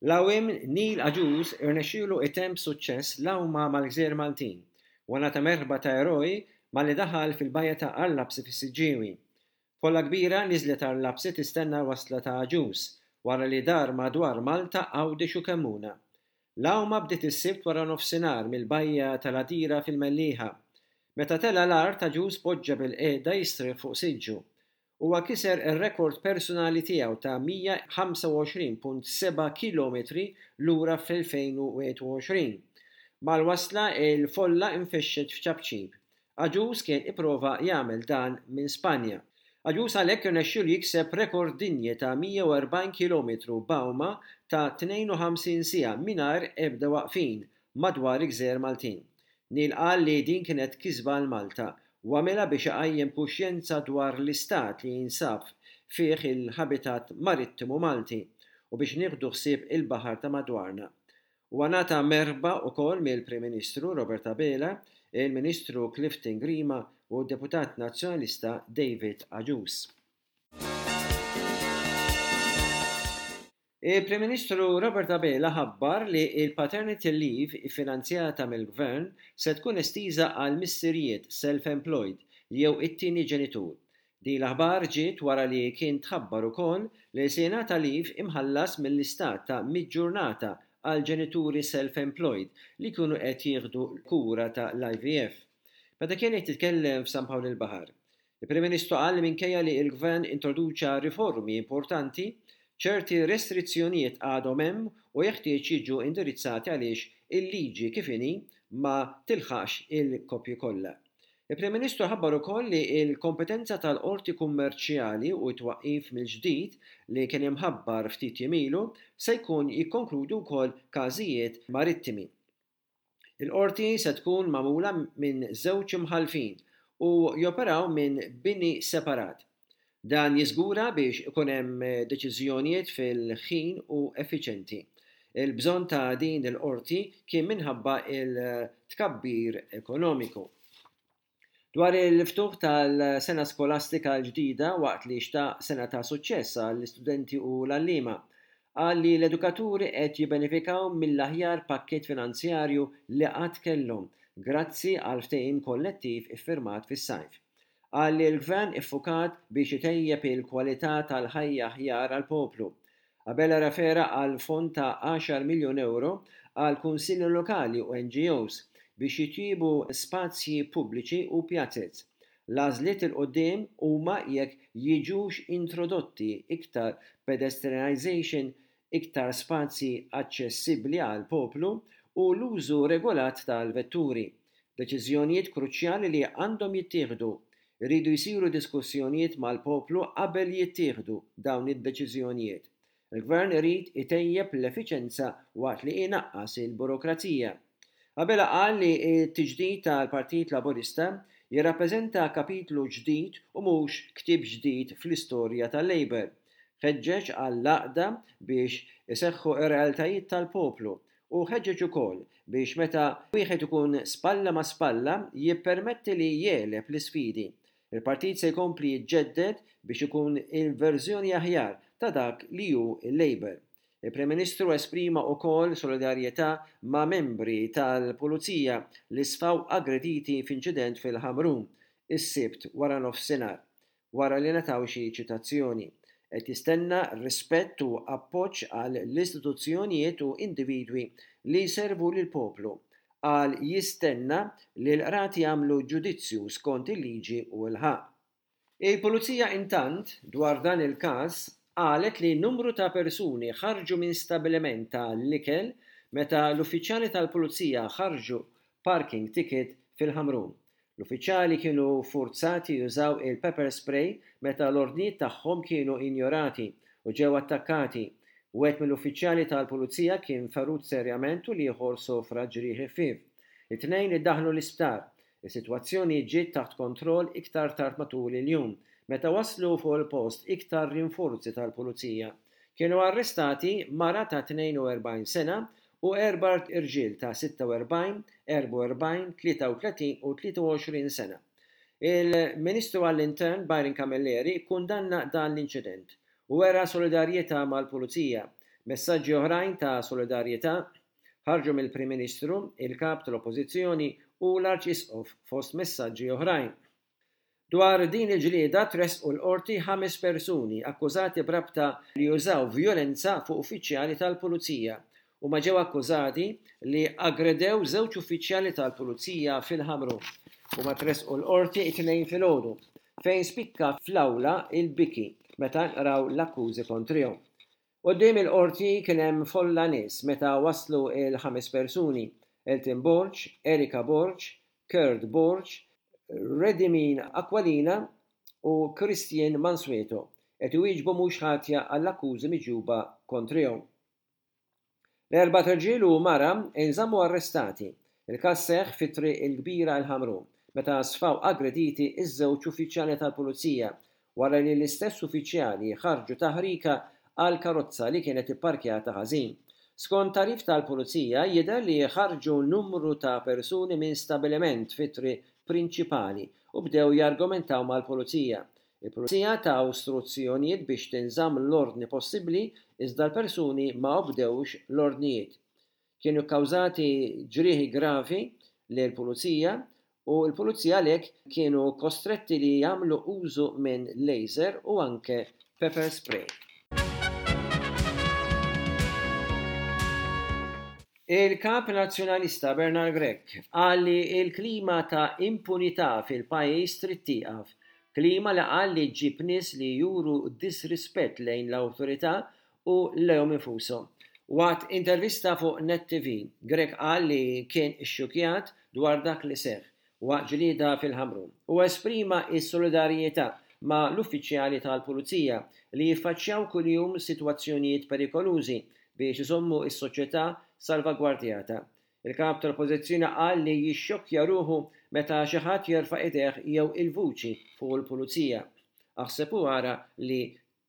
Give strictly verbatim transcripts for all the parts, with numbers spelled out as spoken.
L-għawwiem Neil Agius irnexxielu jtemm b'suċċess l-għawma mal-gżejjer Maltin u ngħata merħba ta' eroj malli daħal fil-bajja ta' Għar Lapsi fis-Siġġiewi. Folla kbira niżlet Għar Lapsi tistenna l-wasla ta' Agius wara li dar madwar Malta, Għawdex u Kemmuna. L-għawma bdiet is-Sibt wara nofsinhar mill-bajja tal-Għadira fil-Mellieħa. Meta tela' l-art, Agius poġġa bilqiegħda jistrieħ fuq siġġu. Huwa kiser ir-rekord personali tiegħu ta' mija ħamsa u għoxrin punt seba' kilometri lura fl-elfejn u wieħed u għoxrin. Mal-wasla il-folla infexxet f'ċapċip. Agius kien ipprova jagħmel dan minn Spanja. Agius għalhekk irnexxielu jikseb rekord dinji ta' mija u erbgħin kilometru b'għawma ta' tnejn u ħamsin siegħa mingħajr ebda waqfin madwar il-gżejjer Maltin. Neil qal li din kienet kisba għal Malta u għamilha biex iqajjem kuxjenza dwar l-istat li jinsab fih il-habitat marittimu Malti u biex nieħdu ħsieb il-baħar ta' madwarna. U ngħata merħba wkoll mill-Prim Ministru Robert Abela, il-Ministru Clifton Grima u d-Deputat Nazzjonalista David Agius. Il-Prim Ministru Robert Abela ħabbar li il-paternity leave iffinanzjata mill-Gvern se tkun estiża għal missirijiet self-employed jew it-tieni ġenitur. Din l-aħbar ġiet wara li kien tħabbar ukoll li se jingħata leave imħallas mill-istat ta' mitt ġurnata għal ġenituri self-employed li jkunu qed jieħdu kura ta' l-I V F. Meta kien qed jitkellem f'San Pawl il-Baħar, il-Prim Ministru qal li minkejja li l-Gvern introduċa riformi importanti, ċerti restrizzjonijiet għadhom hemm u jeħtieġ jiġu indirizzati għaliex il-liġi kif inhi ma tilħaqx il-koppji kollha. Il-Prim Ministru ħabbar ukoll li l-kompetenza tal-qorti kummerċjali u t-twaqqif mill-ġdid li kien imħabbar ftit jiem ilu se jkun jikkonkludu wkoll każijiet marittimi. Il-qorti se tkun magħmula minn żewġ imħallfin u joperaw minn bini separat. Dan jiżgura biex ikun hemm deċiżjonijiet fil-ħin u effiċjenti. Il-bżonn ta' din il-qorti kien minħabba il-tkabbir ekonomiku. Dwar il-ftuħ tal-sena skolastika l-ġdida waqt li xtaq sena ta' suċċess għall-istudenti u l-għalliema, qal li l-edukaturi qed jibbenefikaw mill-aħjar pakkett finanzjarju li qatt kellhom grazzi għal ftehim kollettiv iffirmat fis-sajf. Qal li l-gvern iffukat biex itejjeb il-kwalità tal-ħajja aħjar għall-poplu. Abela refera għal fond ta' għaxar miljun euro għal kunsilli lokali u N G Os biex jitjiebu spazji pubbliċi u pjazez. L-għażliet il-qudiem huma jekk jiġux introdotti iktar pedestrianization, iktar spazji aċċessibbli għal poplu u l-użu regolat tal-vetturi. Deċiżjonijiet kruċjali li għandhom jittieħdu. Iridu jsiru diskussjonijiet mal-poplu qabel jittieħdu dawn id-deċiżjonijiet. Il-Gvern irid itejjeb l-effiċenza waqt li inaqqas il-burokrazija. Abela qal li t-tiġdid tal-Partit Laburista jirrappreżenta kapitlu ġdid u mhux ktieb ġdid fl-istorja tal-Labour. Ħeġġeġ għall-għaqda biex iseħħu r-realtajiet tal-poplu u ħeġġeġ ukoll biex meta wieħed ikun spalla ma' spalla jippermetti li jegħleb l-isfidi. Il-partit se jkompli jiġġedded biex ikun il-verżjoni aħjar ta' dak li hu il-Labour. Il-Prim Ministru esprima wkoll solidarjetà ma' membri tal-Pulizija li sfaw aggrediti f'inċident fil-Ħamrun is-Sibt wara nofsinhar, wara li ngħataw xi ċitazzjoni. Qed jistenna rispett u appoġġ għal l-istituzzjonijiet u individwi li jservu lill-poplu. Qal jistenna li l-qrati jagħmlu ġudizzju skont il-liġi u l-ħaqq. Il-Pulizija intant dwar dan il-każ qalet li numru ta' persuni ħarġu minn stabiliment ta' l-ikel meta l-uffiċjali tal-Pulizija ħarġu parking ticket fil-Ħamrun. L-uffiċjali kienu forzati jużaw il-pepper spray meta l-ordnijiet tagħhom kienu injorati u ġew attakkati. Wieħed mill-uffiċjali tal-Pulizija kien ferut serjament u l-ieħor sofra ġrieħi ħfief. It-tnejn iddaħlu l-isptar. Is-sitwazzjoni ġiet taħt kontroll iktar tard matul il-jum, meta waslu fuq il-post iktar rinforzi tal-Pulizija. Kienu arrestati mara ta' tnejn u erbgħin sena u erba' irġiel ta' sitta u erbgħin, erba' u erbgħin, tlieta u tletin u tlieta u għoxrin sena. Il-Ministru għall-Intern Byron Camilleri kkundanna dan l-inċident u wera solidarjetà mal-Pulizija. Messaġġi oħrajn ta' solidarjetà ħarġu mill-Prim Ministru, il-Kap tal-Oppożizzjoni u l-Arċisqof fost messaġġi oħrajn. Dwar din il-ġlieda tressqu l-Qorti ħames persuni akkużati b'rabta li użaw vjolenza fuq uffiċjali tal-Pulizija. Huma ġew akkużati li aggredew żewġ uffiċjali tal-Pulizija fil-Ħamrun. Huma tressqu l-Qorti it-Tnejn filgħodu, fejn spikka fl-awla il-biki meta nqraw l-akkużi kontrihom. Quddiem il-Qorti kien hemm folla nies meta waslu il-ħames persuni: Elton Borg, Erika Borg, Kurt Borg, Redimin Aquilina u Christian Mansueto, qed iwieġbu mhux ħatja għall-akkużi miġjuba kontrihom. L-erbat irġiel u mara inżammu arrestati. Il-każ seħħ fit-Triq il-Kbira l-Ħamrun meta sfaw aggrediti iż-żewġ uffiċjali tal-Pulizija wara li l-istess uffiċjali ħarġu taħrika għal karozza li kienet ipparkjata ħażin. Skont tagħrif tal-Pulizija, jidher li ħarġu numru ta' persuni minn stabiliment fit-triq prinċipali u bdew jargumentaw mal-Pulizija. Il-Pulizija taw istruzzjonijiet biex tinżamm l-ordni possibbli, iżda l-persuni ma obdewx l-ordnijiet. Kienu kkawżati ġrieħi gravi lill-Pulizija u l-Pulizija għalhekk kienu kostretti li jagħmlu użu minn laser u anke pepper spray. Il-Kap Nazzjonalista Bernard Grech qal li l-klima ta' impunità fil-pajjiż trid tieqaf. Klima li qal li ġġib nies li juru disrispett lejn l-awtorità u lejhom infushom. Waqt intervista fuq Net T V, Grech qal li kien ixxukjat dwar dak li seħħ waqt ġlieda fil-Ħamrun u esprima s-solidarjetà ma' l-uffiċjali tal-Pulizija li jiffaċċjaw kuljum sitwazzjonijiet perikolużi biex iżommu s-soċjetà salvagwardjata. Il-Kap tal-Oppożizzjoni qal li jixxokkja ruħu meta xi ħadd jerfa' idejh jew il-vuċi fuq il-Pulizija, aħseb u ara li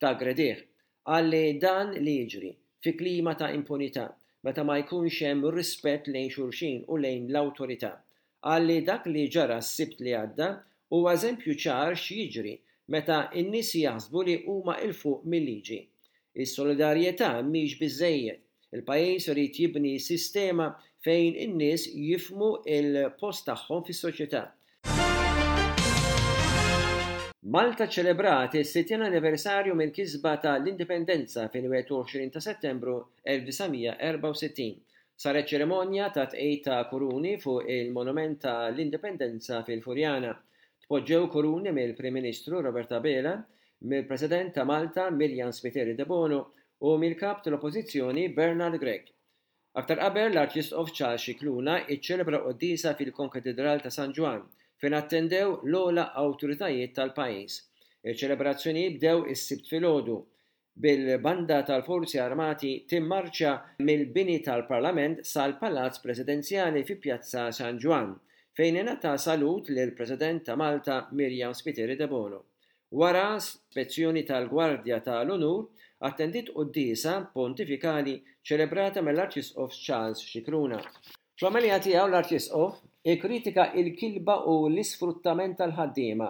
taggredih. Qal li dan li jiġri fi klima ta' impunità meta ma jkunx hemm rispett lejn xulxin u lejn l-awtorità. Qal li dak li ġara s-Sibt li għadda huwa eżempju ċar x'jiġri meta n-nies jaħsbu li huma 'l fuq mil-liġi. Is-solidarjetà mhix biżżejjed. Il-pajjiż irid jibni sistema fejn in-nies jifhmu l-post tagħhom fis-soċjetà. Malta ċċelebrat is-sittin anniversarju mill-kisba tal-Indipendenza fil-wieħed u għoxrin ta' Settembru elf disa' mija erbgħa u sittin. Saret ċerimonja ta' tqegħid ta' kuruni fuq il-Monument tal-Indipendenza fil-Furjana. Tpoġġew kuruni mill-Prim Ministru Robert Abela, mill-President ta' Malta Myriam Spiteri Debono u mill-Kap tal-Oppożizzjoni Bernard Grech. Aktar qabel, l-Arċisqof Charles Scicluna iċċelebra quddiesa fil-Konkatedral ta' San Ġwann fejn attendew l-ogħla awtoritajiet tal-pajjiż. Iċ-ċelebrazzjonijiet bdew is-Sibt filgħodu bil-banda tal-Forzi Armati timmarċa mill-bini tal-Parlament sal-Palazz Presidenzjali fi Pjazza San Ġwann, fejn ingħata salut lill-President ta' Malta Myriam Spiteri Debono. Wara spezzjoni tal-Gwardja tal-Unur, attendiet quddiesa pontifikali ċelebrata mill-Arċisqof Charles Scicluna. Fl-omelija tiegħu, l-Arċisqof ikkritika l-kilba u l-isfruttament tal-ħaddiema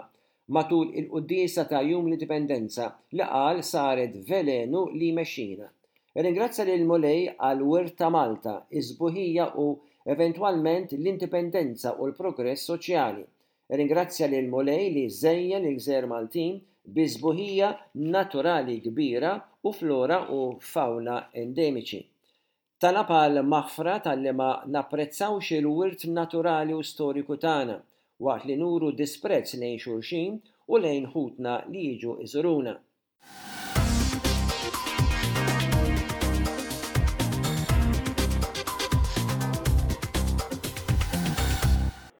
matul il-quddiesa ta' Jum l-Indipendenza li qal saret velenu li jmexxina. Irringrazzja lil Mulej għall-wirt ta' Malta, iż-sbuħija u eventwalment l-indipendenza u l-progress soċjali. Irringrazzja lil Mulej li żejjen il-gżejjer Maltin bi sbuħija naturali kbira u flora u fawna endemiċi. Talab għal maħfra talli ma napprezzawx il-wirt naturali u storiku tagħna waqt li nuru disprezz lejn xulxin u lejn ħutna li jiġu iżuruna.